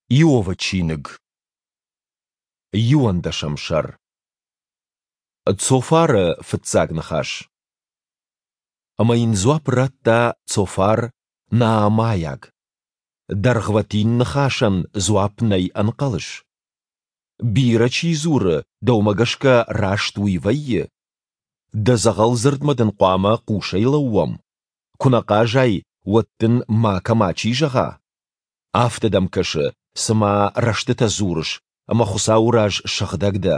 Иовы чиныг, иуӕндӕсӕм сӕр. Цофары фыццаг ныхас. Ӕмӕ йын дзуапп радта Цофар, наамӕйаг: Дӕргъвӕтин ныхасӕн дзуапп нӕй ӕнхъӕлыс? Бирӕ чи дзуры, дӕумӕ гӕсгӕ раст уый вӕййы? Дӕ дзӕгъӕл дзырдмӕ дын хъуамӕ хъусӕй лӕууӕм? Куы нӕ хъазай, уӕд дын макӕ мачи зӕгъа? Афтӕ дӕм кӕсы, цыма рӕстытӕ дзурыс ӕмӕ Хуыцауы раз сыгъдӕг дӕ.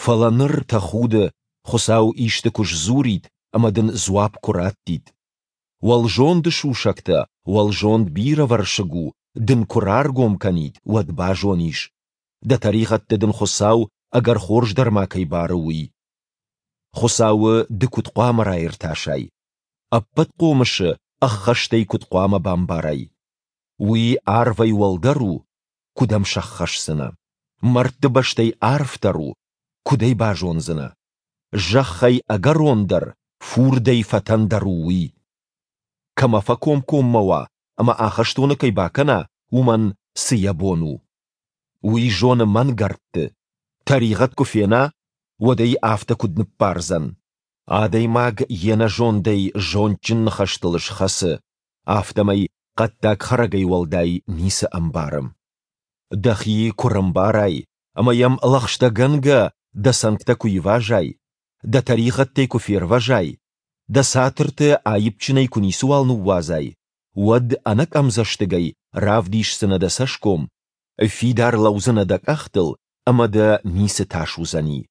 Фӕлӕ ныр тӕхуды, Хуыцау исты куы сдзурид ӕмӕ дын дзуапп куы раттид. Уӕлзонды сусӕгтӕ, уӕлзонд бирӕвӕрсыг у, дын куы раргом кӕнид, уӕд базонис, дӕ тӕригъӕдтӕ дын Хуыцау ӕгӕр хорз дӕр ма кӕй бары, уый. Хуыцауы ды куыд хъуамӕ раиртасай? Ӕппӕтхъомысы ӕххӕстӕй куыд хъуамӕ бамбарай? Уый арвӕй уӕлдӕр у, куыд ӕм сӕххӕсдзынӕ? Мӕрдты бӕстӕй арфдӕр у, куыд ӕй базондзынӕ? Зӕххӕй ӕгӕрондӕр, фурдӕй фӕтӕндӕр у уый. Кӕмӕ фӕкомкоммӕ уа ӕмӕ ахӕстоны кӕй бакӕна, уымӕн цы йӕ бон у? Уый зоны мӕнгӕрдты. Тӕригъӕд куы фена, уӕд ӕй афтӕ куыд ныббардзӕн? Адӕймаг йе нӕзондӕй зондджын ныхӕстыл схӕцы, афтӕмӕй хъӕддаг хӕрӕгӕй уӕлдай ницы ӕмбары. Дӕхи куы рӕмбарай ӕмӕ йӕм лӕгъстӕгӕнгӕ дӕ цӕнгтӕ куы ивазай, дӕ тӕригъӕдтӕй куы фервӕзай, дӕ цатырты аиппджынӕй куы ницыуал ныууадзай, уӕд ӕнӕкъӕмдзӕстыгӕй равдисдзынӕ дӕ цӕсгом, фидар лӕудзынӕ дӕ къӕхтыл ӕмӕ дӕ ницы тас уыдзӕни.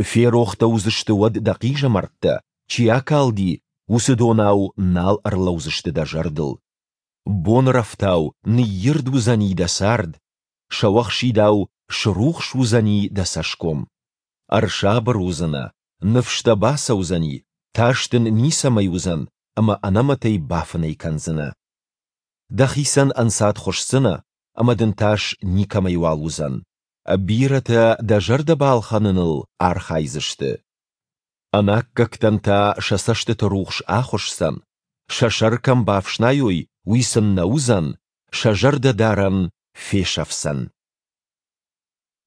Ферох дӕ уыдзысты уӕд дӕ хъизӕмӕрттӕ, чи акалди, уыцы донау нал ӕрлӕудзысты дӕ зӕрдыл. Бонрӕфтау ныйирд уыдзӕни дӕ цард, сӕуӕхсидау срухс уыдзӕни дӕ цӕсгом. Ӕрсабыр уыдзынӕ, ныфс дӕ бацӕудзӕни, тас дын ницӕмӕй уыдзӕн ӕмӕ ӕнӕмӕтӕй бафынӕй кӕндзынӕ. Дӕхицӕн ӕнцад хуысдзынӕ, ӕмӕ дын тас никӕмӕйуал уыдзӕн. Бирӕтӕ дӕ зӕрдӕ балхӕныныл архайдзысты. Ӕнаккӕгтӕн та сӕ цӕстыты рухс ахуысдзӕн, сӕ сӕр кӕм бафснайой, уый сын нӕ уыдзӕн, сӕ зӕрдӕдарӕн фесӕфдзӕн.